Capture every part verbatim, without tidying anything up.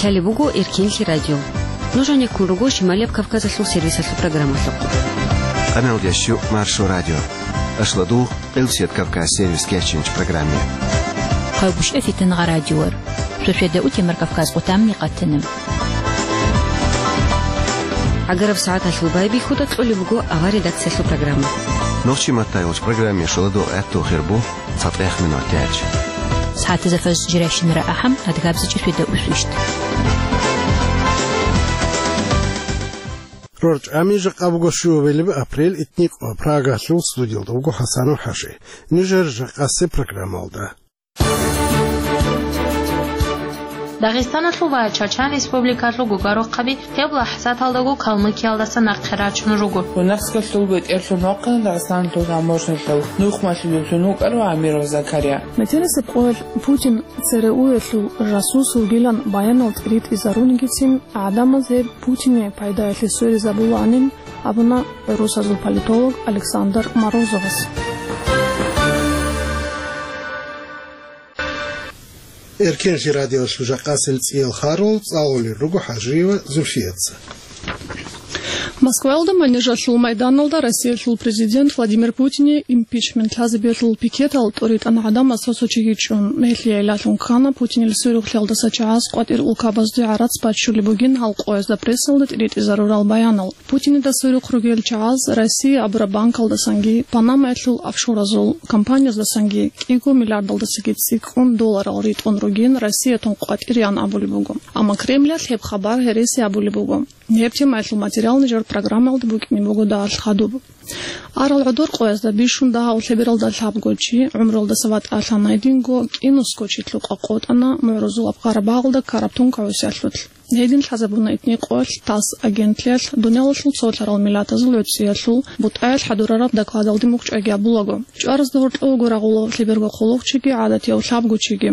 Лъалеб буго Эркенлъи радио. Нуж гьанеккун руго Шималияб Кавказалъул сервисалъул программалъухъ. Къамелдящу Маршо радио. Ашладугъ Къилсият Кавказ сервис кечинч программе. Хъавгуш эфитан гъа радиор. Шошведа утемар Кавказ къутамни къатана. ГӀагараб сагӀаталъул байбихьуда кьолеб буго авар редакциялъул программа. Нохчи маттайулч программе шоладугъ гӀатту хирбу. ЦатӀех минут яч. СагӀатазда фаз жиращинара ахӀам, адгабзичӀеб шведа усвищт. РорчӀами жакъа буго щуабилеб апрель, итникъо Прагалъул студиялда вуго ХӀасанов ХӀаши. Нижер жакъасе программалда. Дагъистаналъул ва Чачан Республикалъул гугарухъаби гьеб лахӀзаталдаго Калмыкиялдаса нахъе рачун руго. Гунахскалъул бетӀерлъун вахъана Дагъистаналъул таможнялъул нухмалъулевлъун вукӀарав Амиров Закария. Метерисеб къоялъ Путин ЦРУ-ялъул жасус вугилан баянал тӀиритӀизарунигицин, гӀадамаз гьеб Путине пайдаялъе сверизабуланин абуна гӀурусазул политолог Александр Морозовас. Эркенлъи радиолъул жакъасел цӀиял харул цӀалулел руго ХӀажиева Зульфияца. Москваялда Манежалъул майданалда Россиялъул президент Владимир Путине импичмент лъазабиялъул пикетал тӀоритӀан гӀадамаз цо-цо чиги чӀун. Гьелъие гӀиллалъун ккана Путинил сверухълъиялдаса чагӀаз къватӀир улкабазде гӀарац баччулеб бугин гьал къоязда прессалда тӀиритӀизарурал баянал. Путинида сверухъ ругел чагӀаз Россия абураб банкалдасанги, Панамаялъул офшоразул компанияздаsanги кӀиго миллиардалдасаги цӀикӀкӀун долларал ритӀун ругин Россиятун къватӀираян абулеб буго. Амма Кремлалъ гьеб хабар гьереси абулеб буго. Гьеб темаялъул материал нижер программаялда букӀине буго дагьалъ хадуб. Арал гӀодор къоязда бищун дагьав лъебералда лъабго чи, гӀумруялдаса ватӀалъана, гьединго кӀинусго чи лъукъа къотӀана МугӀрузулаб Къарабагъалда ккараб тункагӀусиялъулъ. Гьедин лъазабуна итни къоялъ ТАСС агентлъиялъ дуниялалъул цолъарал миллатазул гӀуцӀиялъул бутӀаялъ хӀадурараб докладалде мухь чӀваги абулаго. ЧӀваразда гьоркьовго рагъула лъеберго хъулухъчиги гӀадатияв лъабго чиги.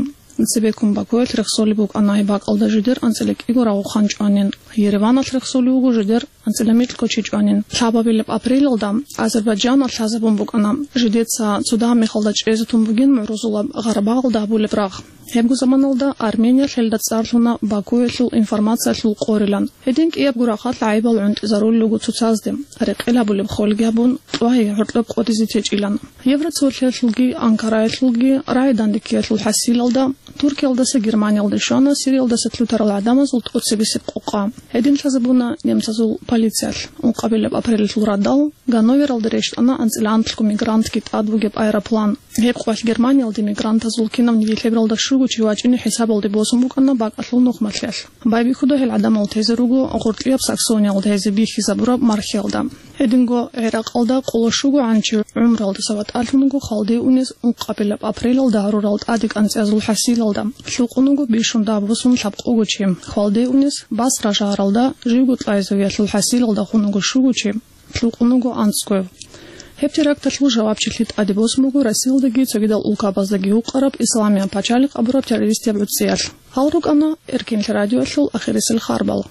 Цебеккун Бакуялъ рехсолеб букӀана гьеб бакӀалда жидер анцӀила кӀиго рагъухан чӀванин, Ереваналъ рехсолев вуго жидер анцӀила микьго чи чӀванин. Лъабабилеб апрелалда Азербайджаналъ лъазабун букӀана, жидеца цо дагьаб мехалда чӀезе тун бугин МугӀрузулаб Гъарабагъалда гьабулеб рагъ. Гьебго заманалда Армениялъ гьелда цӀар лъуна Бакуялъул информациялъул къорилан. Гьедин кӀиябго рахъалъ гӀайибал гӀунтӀизарулел руго цоцазде, рекъел гьабулеб холги гьабун, тӀвай гьоркьоб къотӀизе течӀилан. Евроцолъиялъулги Анкараялъулги рагӀи-дандеккиялъул хӀасилалда, Туркиялдаса Германиялде щвана Сириялдаса лъутарал гӀадамазул тӀоцебесеб къокъа. Гьедин лъазабуна немцазул полициялъ. Ункъабилеб апрелалъул радал Ганновералда рещтӀана анцӀила анлъго мигрантги тӀад бугеб аэроплан. Гьеб къоялъ Германиялде мигрантазул кинавниги лъебералда щуго чи вачӀине хӀисабалде босун букӀана бакӀалъул нухмалъиялъ. Байбихьуда гьел гӀадамал тезе руго гъоркьияб Саксониялда гьезие бихьизабураб мархиялда. Гьединго ГӀиракъалда къоло щугогӀан чи гӀумруялдаса ватӀалъун вуго хвалде унез ункъабилеб апрелалда гьарурал тӀаде кӀанцӀиязул хӀасилалда. Лъукъун вуго бищун дагьаб босун лъабкъого чи. Хвалде унез Басра шагьаралда живго кьвагӀизавиялъул хӀасилалда хун вуго щуго чи. Лъукъун вуго анцӀгояв. Гьеб теракталъул жавабчилъи тӀаде босун буго Россиялдаги цогидал улкабаздаги вукъараб Исламияб пачалихъ абураб террористияб гӀуцӀиялъ. Гьал рукӀана Эркенлъи радиоялъул ахирисел харбал.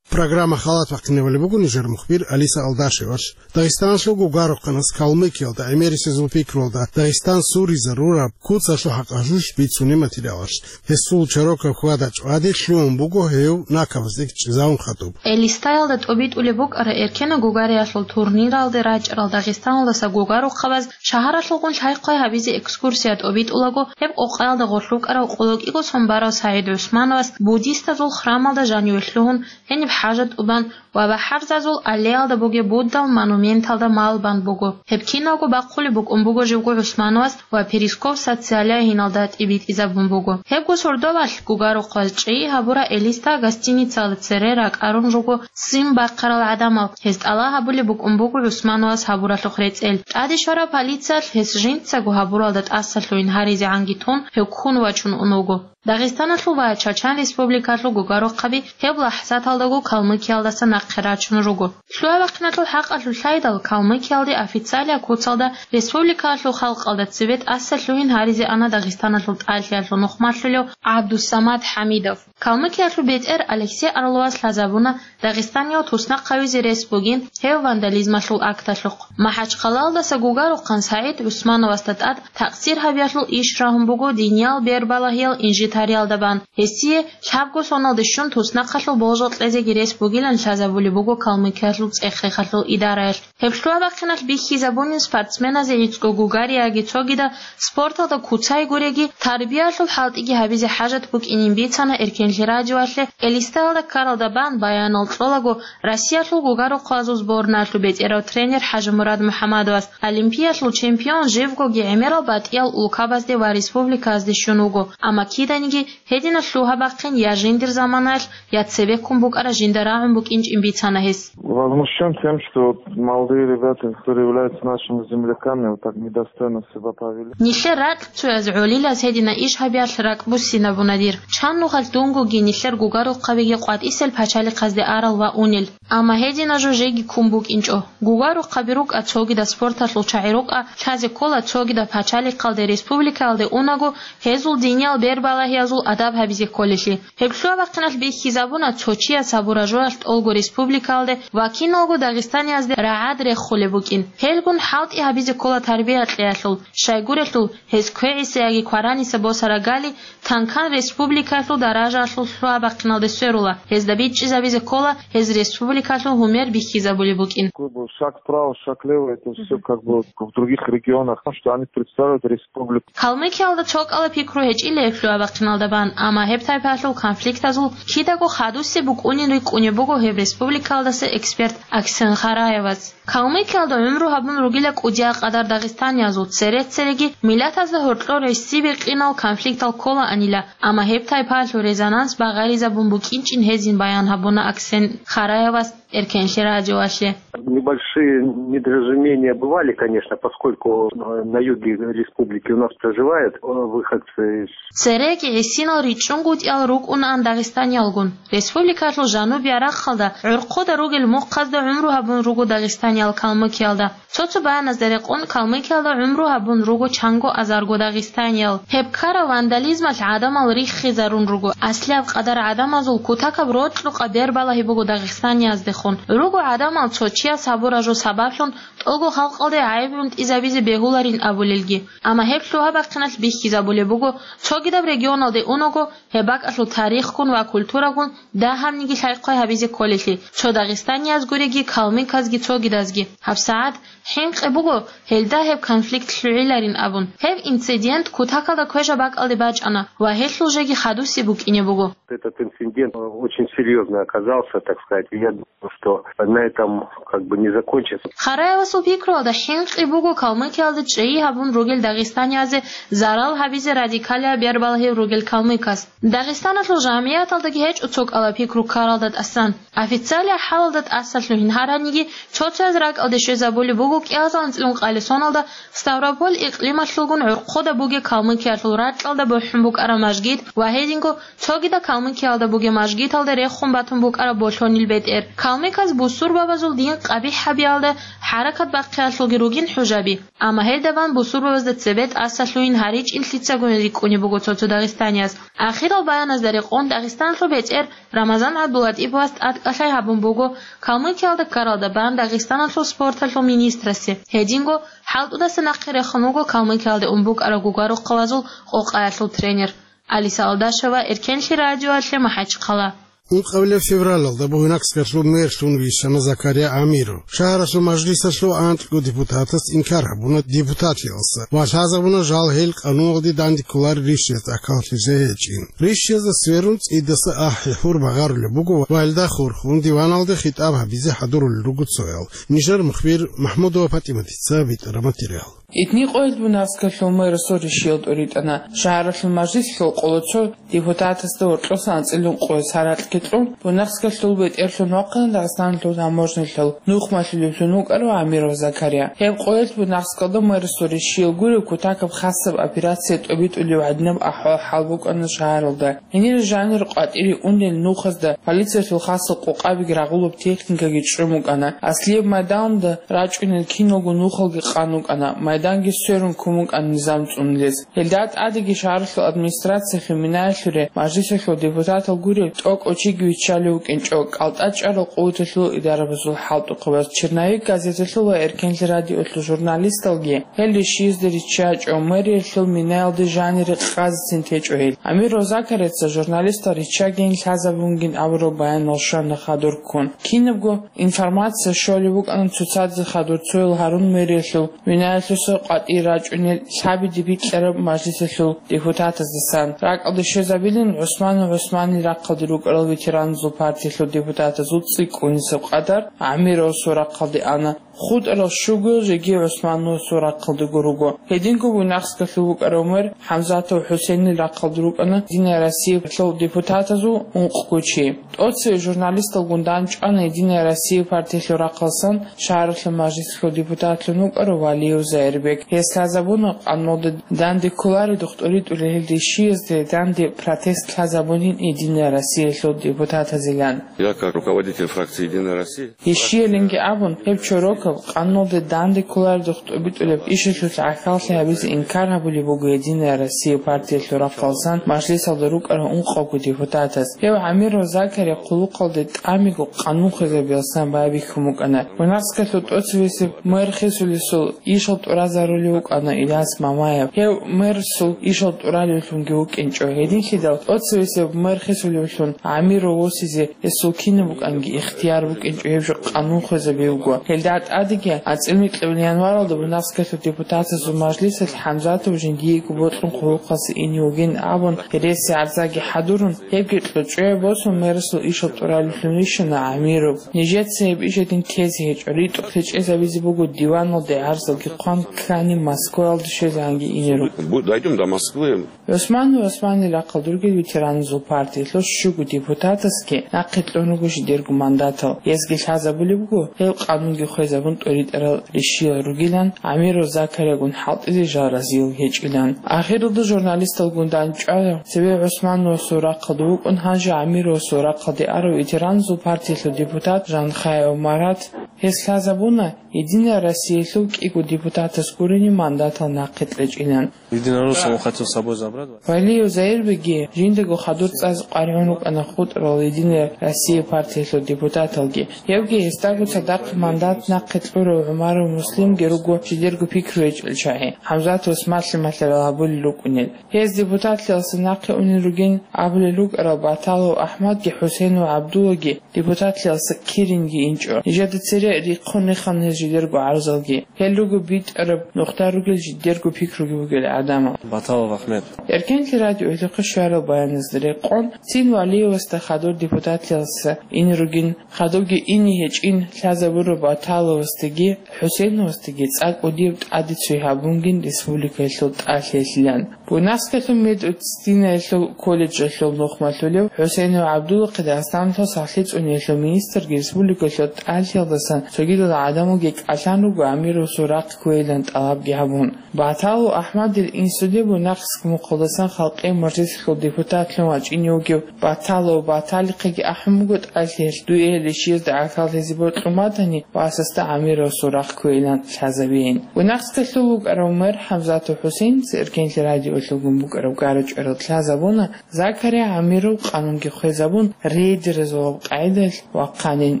Программа халат вахъинавали буго нижер мухбир Алиса Алдашевалъ. Дагъистаналъул гугарухъанас Калмыкиялда гӀемерисезул пикруялда Дагъистан суризарураб куцалъул хӀакъалъулъ бицунеб материалалъ. Гьесул чорокаб хьвада-чӀвади лъугьун буго гьев накабазде чӀезавун хадуб. Элистаялда тӀобитӀулеб букӀара эркенаб гугариялъул турниралде рачӀарал Дагъистаналдаса гугарухъабаз шагьаралъулгун лъай-хъвай гьабизе экскурсия тӀобитӀулаго, гьеб къокъаялда гъорлъ вукӀарав къоло кӀиго сон барав СагӀид ГӀусмановас буддистазул храмалда жаниве лъугьун, гьениб хӀажат тӀубан ва БахӀарзазул аллеялда бугеб Буддал монументалда малбан буго. Гьеб киналго бахъулеб букӀун буго живго ГӀусмановас ва Перископ социалягьиналда тӀибитӀизабун буго. Гьебго сордоялъ гугарухъаз чӀей гьабура Элиста гостиницаялда цере ракӀарун руго ццин бахъарал гӀадамал. Гьез тӀалаб гьабулеб букӀун буго ГӀусмановас гьабуралъухъ рецӀел. ТӀаде щвараб полициялъ гьес жинцаго гьабуралда тӀасалъугьин гьаризегӀанги тун, гьев ккун вачун ун вуго. Дагъистаналъул ва Чачан Республикалъул гугарухъаби гьеб лахӀзаталдаго Калмыкиялдаса рачун руго. Лъугьа-бахъиналъул хӀакъалъулъ лъайдал, Калмыкиялде официалияб куцалда республикалъул халкъалда цебе тӀаса лъугьин гьаризе ана Дагъистаналъул тӀалъиялъул нухмалъулев ГӀабдусамат ХӀамидов. Калмыкиялъул бетӀер Алексей Орловас лъазабуна Дагъистаниял туснахъ гьавизе рес бугин гьев вандализмалъул акталъухъ. МахӀачхъалаялдаса Гугарухъан СагӀид ГӀусмановасда тӀад такъсир гьабиялъул иш рагьун буго диниял бербалагьиял инжитариялда бан. Гьесие лъабго соналде щун туснахъалъул болжал кьезеги рес бугилан лъазабулеб буго Калмыкиялъул цӀех-рехалъул идараялъ. Гьеб лъугьа-бахъиналъ бихьизабунин спортсменазе гӀицӀго Гугарияги цогидал спорталда куцай гуреги, тарбиялъул хӀалтӀиги гьабизе хӀажат букӀинин бицана Эркенлъи радиоялъе. Элиста ккаралда бан баянал кьолаго Россиялъул гугарухъазул сборнаялъул бетӀерав тренер ХӀажимурад МухӀамадовас, олимпиялъул чемпион живгоги гӀемерал батӀиял улкабазде ва республикаялде щун вуго, амма киданиги гьединал лъугьа-бахъин я жиндир заманаялъ, я цебеккун букӀараб жинда рагӀун букӀинчӀин бицана гьес. Возмущен тем, что вот молодые ребята, которые являются нашими земляками, вот так недостойно себя повели. Нилъер ракьцояз гӀолилаз гьедина иш гьабиялъ ракӀбуссинабуна дир. Чан нухалъ дунгоги нилъер гугарухъабиги къватӀисел пачалихъазде арал ва унел. Амма гьедина жо жеги ккун букӀинчӀо. Гугарухъаби рукӀа цогидал спорталъул чагӀи рукӀа, лъазе ккола цогидал пачалихъалде, республикаялде унаго гьезул диниял бербалагьиязул адаб гьабизе кколелъи. Гьеб лъугьа-бахъиналъ бихьизабуна цо чияс гьабураб жоялъ тӀолго республикаялде ва киналго Дагъистаниязде рагӀад реххулеб букӀин. Гьелгун хӀалтӀи гьабизе ккола тарбия кьеялъул, щайгурелъул гьез квегӀиса яги квараниса босараб гали танкан республикалъул даражаялъул лъугьа-бахъиналде сверула, гьезда бичӀчӀизабизе ккола гьез республикалъул гьумер бихьизабулеб букӀин. Как бы шаг вправо, шаг влево, это всё как бы в других регионах, потому что они представляют республику. Калмыкиялда цо кӀала пикру гьечӀила гьеб лъугьа-бахъиналда бан, амма гьеб тайпаялъул конфликтазул кидаго хадусеб букӀунин рикӀкӀунеб буго гьеб республикаялдаса эксперт Аксен Хараевас. Калмыкиялда гӀумру гьабун ругила кӀудиял къадар дагъистаниязул, цере-цереги миллатазда гьоркьор гӀиси-бикъинал конфликтал кколаанила, амма гьеб тайпаялъул резонанс багъаризабун букӀинчӀин гьезин баян гьабуна Аксен Хараевас Эркенлъи радиоялъе. Небольшие недоразумения бывали, конечно, поскольку, э, на юге республики у нас проживают, э, выходцы из Цереги гӀисинал ричӀчӀунгутӀиял рукӀунаан дагъистаниялгун. Республикалъул жанубияб рахъалда гӀурхъуда ругел мухъазда гӀумру гьабун руго дагъистаниял Калмыкиялда. Цо-цо баяназда рекъон, Калмыкиялда гӀумру гьабун руго чанго азарго дагъистаниял. Гьеб ккараб вандализмалъ гӀадамал риххизарун руго. Аслияб къадар гӀадамазул кутакаб рокьукъа бербалагьи буго дагъистанияздехун. Руго гӀадамал цо чияс гьабураб жо сабаблъун тӀолго халкъалде гӀайиб гӀунтӀизабизе бегьуларин абулелги. Амма гьеб лъугьа-бахъиналъ бихьизабулеб буго, цогидаб регионалде унаго гьеб бакӀалъул тарихгун ва культурагун дагьабниги лъай-хъвай гьабизе кколелъи, цо дагъистанияз гуреги, калмыказги цогидазги. ГьабсагӀат хӀинкъи буго гьелда гьеб конфликт лъугӀиларин абун. Гьеб инцидент кутакалда квешаб бакӀалде бачӀана ва гьелъул жеги хадусеб букӀине буго. Этот инцидент, э, очень серьёзный оказался, так сказать. Я думаю, что на этом как бы не закончится. Хараевасул пикруялда хӀинкъи буго Калмыкиялда чӀей гьабун ругел дагъистаниязе зарал гьабизе радикалияб бербалагьи ругел калмыкас. Дагъистаналъул жамигӀаталдаги гьечӀо цо кӀала пикру ккаралда тӀасан. Официалияб хӀалалда тӀаса лъугьин гьараниги, цо-цояз ракӀалде щвезабулеб буго кӀиазда анцӀила ункъабилеб соналда Ставрополь икълималъулгун гӀурхъуда бугеб Калмыкиялъул ракьалда бухӀун букӀараб мажгит ва гьединго цогидал Калмыкиялда бугеб мажгиталда рехун батун букӀараб болъонил бетӀер. Калмыказ бусурбабазул дин къабихӀ гьабиялда хӀаракат бахъиялъулги ругин хӀужаби, амма гьелда бан бусурбабазда цебе тӀаса лъугьин гьаричӀин лъицагун рикӀкӀунеб буго цо-цо дагъистанияз. Ахирал баяназда рекъон Дагъистаналъул бетӀер Рамазан ГӀабдулатӀиповас тӀадкӀалъай гьабун буго Калмыкиялда ккаралда бан Дагъистаналъул спорталъул министрасе. Гьединго хӀалтӀудаса нахъе рехун вуго Калмыкиялде ун букӀараб гугарухъалазул къокъаялъул тренер. Алиса Алдашева, Эркенлъи радиоялъе, МахӀачхъала. Ункъабилеб февралалда Бугьнакскалъул мерлъун вищана Закария Амиров. Шагьаралъул мажлисалъул анкьго депутатас инкар гьабуна депутатиялдаса ва лъазабуна жал гьел къануналде дандекколарел ришшияз тӀахьаллъизе гьечӀин. Ришшиязда сверун цӀидаса ахӀи-хӀур багъарулеб буго ва гьелда хурхун диваналде хитӀаб гьабизе хӀадурулел руго цоял. Нижер мухбир МахӀмудова ПатӀиматица битӀараб материал. Итни къоялъ Буйнакскалъул мэрасул ришиял тӀуритӀана. Шагьаралъул мажлислъул къоло цо депутатасда гьоркьосан анцӀила ункъоялъ гьаракьги кьун, Буйнакскалъул бетӀерлъун вахъана Дагъистаналъул таможнялъул нухмалъулевлъун вукӀарав Амиров Закария. Гьеб къоялъ Буйнакскалда мэрасул ришиял гуреб кутакаб хасаб операция тӀобитӀулеб гӀадинаб ахӀвал-хӀал букӀана шагьаралда. Гьенир жанир къватӀире унел нухазда полициялъул хасал къокъабиги рагъулаб техникаги чӀун букӀана. Аслияб майданда рачӀунел киналго нухалги къан вукӀана, майданги сверун ккун букӀана низам цӀунулез. Гьелда тӀадеги шагьаралъул администрациялъул минаялъуре мажлисалъул депутатал гуреб тӀокӀав чиги виччалев вукӀинчӀо, кӀалтӀа чӀарал къуваталъул идарабазул хӀалтӀухъабаз. Черновик газеталъул ва Эркенлъи радиолъул журналисталги гьел ришиязда риччачӀо, мэриялъул минаялде жанире къазецин течӀо гьел. Амиров Закарияца журналистал риччагийин лъазабунгин абураб баянал щвана хадур ккун. Кинабго информация щолеб букӀана цоцазе хадур цоял гьарун мэриялъул минаялъуса къватӀире рачӀунел лъабиде бикьараб мажлисалъул депутатаздасан. РакӀалде щвезабилин ГӀусманов ГӀусманил рахъалде рукӀарал ветераназул партиялъул депутатазул цӀикӀкӀунисеб къадар Амировасул рахъалде ана. ХутӀарал щуго жеги ГӀусмановасул рахъалдего руго. Гьединго Буйнакскалъул вукӀарав мэр ХӀамзатов ХӀусейнил рахъалде рукӀана Единая Россиялъул депутатазул ункъго чи. ТӀоцеве журналисталгун дандчӀвана Единая Россия партиялъул рахъалсан шагьаралъул мажлислъул депутатлъун вукӀарав Валиев Заирбек. Гьес лъазабуна къануналде данде кколареб духтӀуритӀулел гьел ришиязде данде протест лъазабунин Единая Россиялъул депутатазилан. Я как руководитель фракции «Единая Россия». Ишиялинги абун, гьеб чорокаб къануналде данде кколареб духтӀуритӀулеб ишалъулъ гӀахьаллъи гьабизе инкар гьабулеб буго Единая Россия партиялъул рахъалсан мажлисалда рукӀарал ункъавго депутатас. Гьев Амиров Закария хъулухъалде тӀамиго къанун хвезабиялсан байбихьун букӀана. Буйнакскалъул тӀоцевесеб мэр хисулесул ишал тӀуразарулев вукӀана Ильяс Мамаев. Гьев мэрасул ишал тӀуралевлъунги вукӀинчӀо. Гьединлъидал тӀоцевесеб мэр хисулевлъун Амиров восизе гьесул кинаб букӀанги ихтияр букӀинчӀо, гьеб жо къанун хвезабизе буго. Гьелда тӀадеги анцӀила микьабилеб январалда Буйнакскалъул депутатазул мажлисалъ ХӀамзатов жиндиего бокьун хъулухъалъе ине вугин абун, гьереси гӀарзаги хӀадурун, гьебги кьучӀое босун, мэрасул ишал тӀуралевлъун вищана Амиров. Нижеца гьеб иш гьедин тезе гьечӀо, ритӀухълъи чӀезабизе буго диваналде гӀарзалги хъван ккани, Москваялде щвезегӀанги ине руго. Бу-, дойдём до Москвы. ГӀусманов ГӀусманил рахъалде ругел ветераназул партиялъул щуго депутатасги нахъе кьун руго жидерго мандатал. Гьезги лъазабулеб буго, гьел къанунги хвезабун тӀуритӀарал ришиял ругилан, Амиров Закариягун хӀалтӀизе жал разиял гьечӀилан. Ахиралда журналисталгун дандчӀвана цебе ГӀусмановасул рахъалде вукӀун, гьанже Амировасул рахъалде арав ветераназул партиялъул депутат Жанхаев Марат. Гьес лъазабуна Единая Россиялъул кӀиго депутатас гуребги мандатал нахъе кьечӀилан. Единороссов хотел с собой забрать. Валиев Заирбекги жиндаго хадур цӀазе къваригӀун рукӀана хутӀарал Единая Россия партиялъул депутаталги. Гьевги гьесдаго цадахъ мандат нахъе кьурав ГӀумаров Муслимги руго жидерго пикру гьечӀел чагӀи, ХӀамзатовас малъи-малъарал гьабулел рукӀунел. Гьез депутатлъиялдаса нахъе унел ругин абулел рукӀарал Баталов АхӀмадги ХӀусейнов ГӀабдуллаги депутатлъиялдаса киринги инчӀо. Нижеда цере рихъун рехана гьез жидерго гӀарзалги. Гьел руго битӀараб нухда ругел, жидерго пикруги бугел гӀадамал. Баталов Ахмед. Эркенлъи радиоялъухъе щварал баяназда рекъон, цин Валиевасда хадур депутатлъиялдаса ине ругин, хадубги ине гьечӀин лъазабураб Баталовасдаги ХӀусейновасдаги цӀакъ кӀудияб тӀаде цой гьабунгин республикаялъул тӀалъиялъилан. Буйнакскалъул медицинлъиялъул колледжалъул нухмалъулев ХӀусейнов ГӀабдуллахъе Дагъистаналъул сахлъи цӀуниялъул министрги республикалъул тӀалъиялдасан цогидал гӀадамалги кӀалъан руго Амировасул рахъ кквейилан тӀалабги гьабун. Баталов АхӀмадил инсуде Буйнакск мухъалдасан халкъиял мажлисалъул депутатлъун вачӀине вугев Баталов Баталихъеги ахӀун буго тӀалъиялъ дуе гьел ришиязда гӀахьаллъизе бокьун батани, васасда Амировасул рахъ кквейилан лъазабейин. Буйнакскалъул вукӀарав мэр ХӀамзатов ХӀусейница Эркенлъи радиоялъулгун букӀараб гара-чӀварал лъазабуна, Закария Амиров къанунги хвезабун, рейдерзабазул къагӀидаялъ вахъанин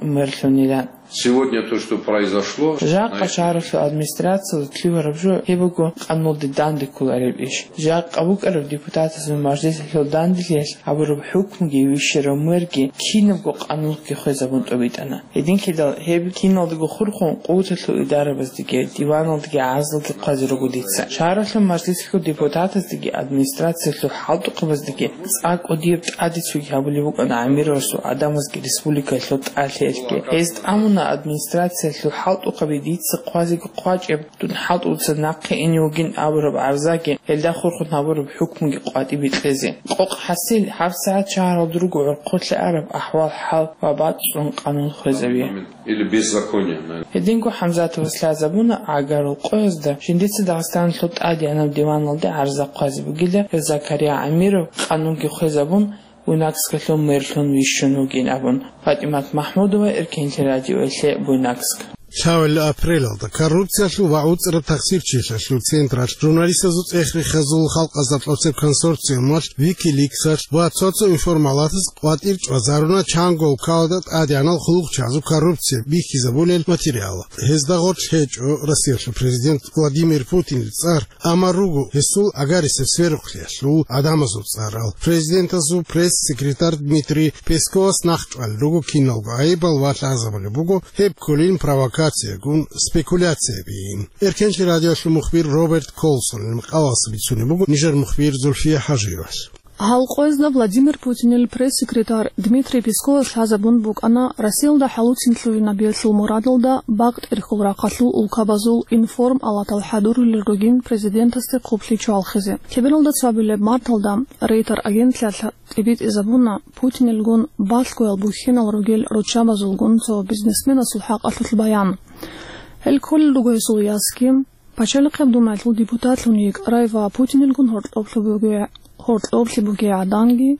мерлъунилан. Сегодня то, что произошло, жакъа шагьаралъул администрациялда лъугьараб жо гьеб буго къануналде данде кколареб иш. Жакъа букӀараб депутатазул мажлисалъул данделъиялъ гьабураб хӀукмуги вищарав мэрги кинабго къануналъги хвезабун тӀобитӀана. Гьединлъидал гьеб киналдаго хурхун къуваталъул идарабаздаги, диваналдаги гӀарзалги хъвазе руго дица. Шагьаралъул мажлисалъул депутатаздаги администрациялъул хӀалтӀухъабаздаги цӀакъ кӀудияб тӀаде цоги гьабулеб букӀана Амировасул гӀадамазги республикаялъул тӀалъиялъги. Гьез тӀамуна Администрациялъул хӀалтӀухъаби дица хъвазеги хъвачӀеб, дун хӀалтӀуца нахъе ине вугин абураб гӀарзаги, гьелда хурхун гьабураб хӀукмуги къватӀибе кьезе. Къокъ хӀасил, гьабсагӀат шагьаралда руго гӀорхъолъи араб ахӀвал-хӀал ва бацӀцӀун къанун хвезабе. Или беззаконие, наверное. Гьединго ХӀамзатовас лъазабуна гӀагарул къоязда жиндица Дагъистаналъул тӀадегӀанаб диваналде гӀарза хъвазе бугила, гьев Закария Амиров къанунги хвезабун, Буйнакскалъул мэрлъун вищун вугин абун. ПатӀимат МахӀмудова, Эркенлъи радиоялъе, Буйнакск. Лъабабилеб апрелалда коррупциялъул ва гӀуцӀраб тахсирчилъиялъул централъ, журналистазул цӀех-рехазул халкъазда тӀоцеб консорциумалъ, Wikileaks-алъ ва цо-цо информалатаз къватӀир чӀвазаруна чанго улкалда тӀадегӀанал хъулухъчагӀазул коррупция бихьизабулел материал. Гьезда гъорлъ гьечӀо Россиялъул президент Владимир Путинил цӀар, амма руго гьесул гӀагарисеб сверухълъиялъул гӀадамазул цӀарал. Президентасул пресс-секретарь Дмитрий Песковас нахъчӀвалел руго киналго гӀайибал ва лъазабулеб буго гьеб кколин провокациягун спекуляциябейин. Эркенлъи радиоялъул мухбир Роберт Колсонил макъалаялъ бицунеб буго нижер мухбир Зульфия ХӀажиевалъ. Гьал къоязда Владимир Путинил пресс-секретарь Дмитрий Песковас лъазабун букӀана Россиялда хӀалуцин лъугьинабиялъул мурадалда бакъ тӀерхьул рахъалъул улкабазул информалатал хӀадурулел ругин президентасде хъублъи чвалхизе. Лъебералда цоабилеб марталда Рейтер агентлъиялъ тӀибитӀизабуна Путинилгун балъгоял бухьинал ругел руччабазулгун цо бизнесменасул хӀакъалъулъ баян. Гьел кколел руго гьесул ясги, Пачалихъеб Думаялъул депутатлъун йикӀарай ва Путинилгун гьоркьоблъи бугей, гьоркьоблъи бугей гӀаданги,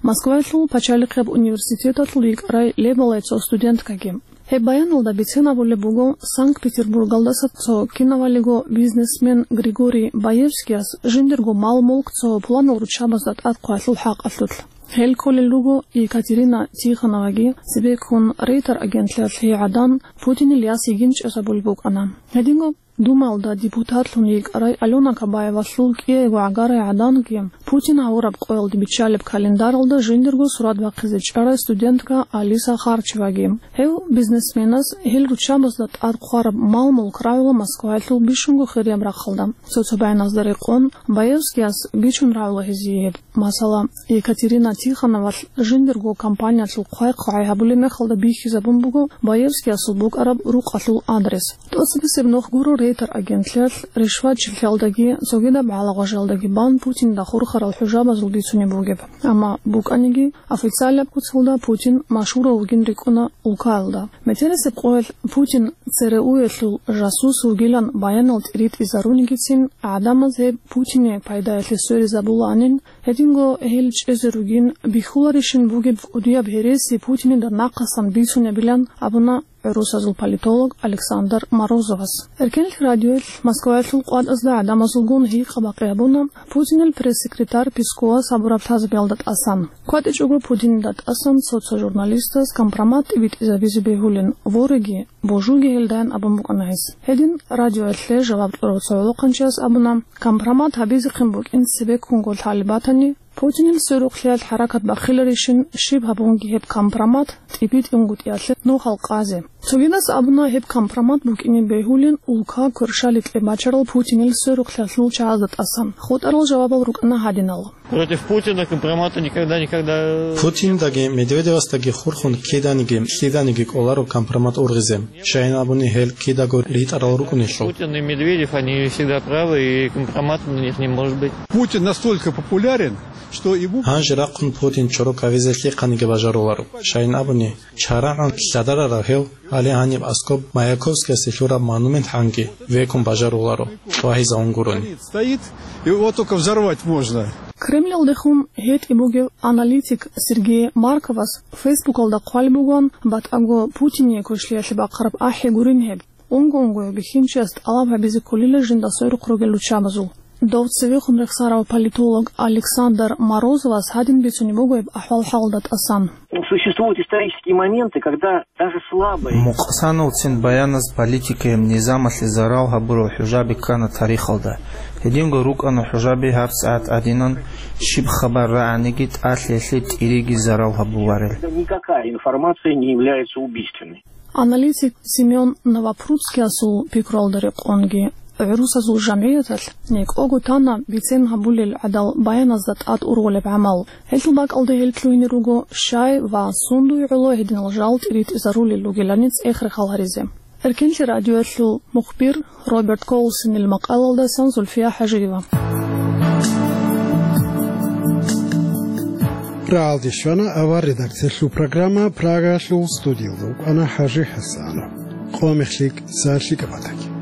Москваялъул пачалихъеб университеталъул йикӀарай лебалай цо студенткаги. Гьеб баяналда бицен абулеб буго Санкт-Петербургалдаса цо кинавалиго бизнесмен Григорий Баевскияс жиндирго мал-мулк цо пуланал руччабазда тӀад хъвалъул хӀакъалъулъ. Гьел кколел руго Екатерина Тихоноваги, цебеккун Рейтер агентлъиялъ гьей гӀадан Путинил яс йигин чӀезабулеб букӀана. Гьединго Думаялда депутатлъун йикӀарай Алёна Кабаевалъул кӀиего гӀагарай гӀаданги Путин гьавураб къоялде биччалеб календаралда жиндирго сурат бахъизе чӀарай студентка Алиса Харчеваги. Гьев бизнесменас гьел руччабазда тӀад хъвараб мал-мулк рагӀула Москваялъул бищунго хирияб рахъалда. Цо-цо баяназда рекъон, Баевскияс бичун рагӀула гьезие гьеб. Масала, Екатерина Тихоновалъ жиндирго компаниялъул хъвай-хъвай гьабулеб мехалда бихьизабун буго Баевскиясул букӀараб рукъалъул адрес. ТӀоцебесеб нух гуро Рейтер агентлъиялъ ришватчилъиялдаги цогидаб гӀалагъважалдаги бан Путинда хурхарал хӀужабазул бицунеб бугеб. Амма букӀаниги, официалаб куцалда Путин машгьурав вугин рикӀкӀуна улкаялда. Метерисеб къоялъ Путин ЦРУ-ялъул жасус вугилан баянал тӀиритӀизарунигицин, гӀадамаз гьеб Путине пайдаялъе сверизабулаанин, гьединго гьел чӀезе ругин бихьуларищин бугеб кӀудияб гьереси Путинида нахъасан бицунебилан абуна гӀурусазул политолог Александр Морозовас. Эркенлъи радиоялъ Москваялъул къватӀазда гӀадамазулгун гьикъа-бакъи гьабуна Путинил пресс-секретарь Песковас гьабураб лъазабиялда тӀасан. КватӀичӀого Путинида тӀасан цо-цо журналистаз компромат тӀибитӀизабизе бегьулин, вореги, божуги гьелдайин абун букӀана гьес. Гьедин радиоялъе жаваб кьурав цо гӀолохъанчияс абуна, компромат гьабизехъин букӀин цебеккунго лъалеб батани, Путинил сверухълъиялъ хӀаракат бахъиларищин, щиб гьабунги гьеб компромат тӀибитӀунгутӀиялъе нухал къазе. Цогидас абуна гьеб компромат букӀине бегьулин улка кверщаликье бачарал Путинил сверухълъиялъул чагӀазда тӀасан. ХутӀарал жавабал рукӀана гьадинал. Против Путина компромата никогда, никогда. Путиндаги Медведевасдаги хурхун киданиги, лъиданиги кӀоларо компромат ургъизе. Щайин абуни гьел кидаго ритӀарал рукӀунелъул. Путин и Медведев, они всегда правы, и компромат у них не может быть. Путин настолько популярен, что ему... Гьанже рахъун Путин чорок гьавизе лъихъаниги бажаруларо. Щайин абуни, чарагӀан лъадарарав гьев, гьале гьаниб аскӀоб Маяковскиясе лъураб монумент гьанги векун бажаруларо, вагьизавун гурони. Стоит, его только взорвать можно. Кремльалдехун гьетӀи бугев аналитик Сергей Марковас Фейсбукалда хъвалеб бугоан, батӀаго Путине квешлъиялъе бахъараб ахӀи гурин гьеб. Унго-унгояв бихьинчияс тӀалаб гьабизе кколила жинда сверухъ ругел руччабазул. Дов цевехун рехсарав политолог Александр Морозовас гьадин бицунеб буго гьеб ахӀвал-хӀалалда тӀасан. Ну, существуют исторические моменты, когда даже слабые... Мукъсаналцин баяназ политикаяб низамалъе зарал гьабурал хӀужаби ккана тарихалда. Гьединго рукӀана хӀужаби гьабсагӀат гӀадинан, щиб хабар рагӀаниги тӀалъиялъе тӀириги зарал гьабуларел. Никакая информация не является убийственной. Аналитик Семён Новопрудскиясул пикруялда рекъонги, гӀурусазул жамгӀияталъ некӀого тана бицен гьабулел гӀадал баяназда тӀад ургъулеб гӀамал. Гьелъул бакӀалда гьел лъугьине руго щай ва сундуй гӀоло гьединал жал тӀиритӀизарулел ругелани цӀех-рехал гьаризе. Эркенлъи радиоялъул мухбир Роберт Колсонил макъалалдасан Зульфия ХӀажиева. Рагьалде щвана авар редакциялъул программа. Прагаялъул студиялда вукӀана ХӀажи ХӀасанов. Къо мехлъи, сахлъи кӀапӀатаги.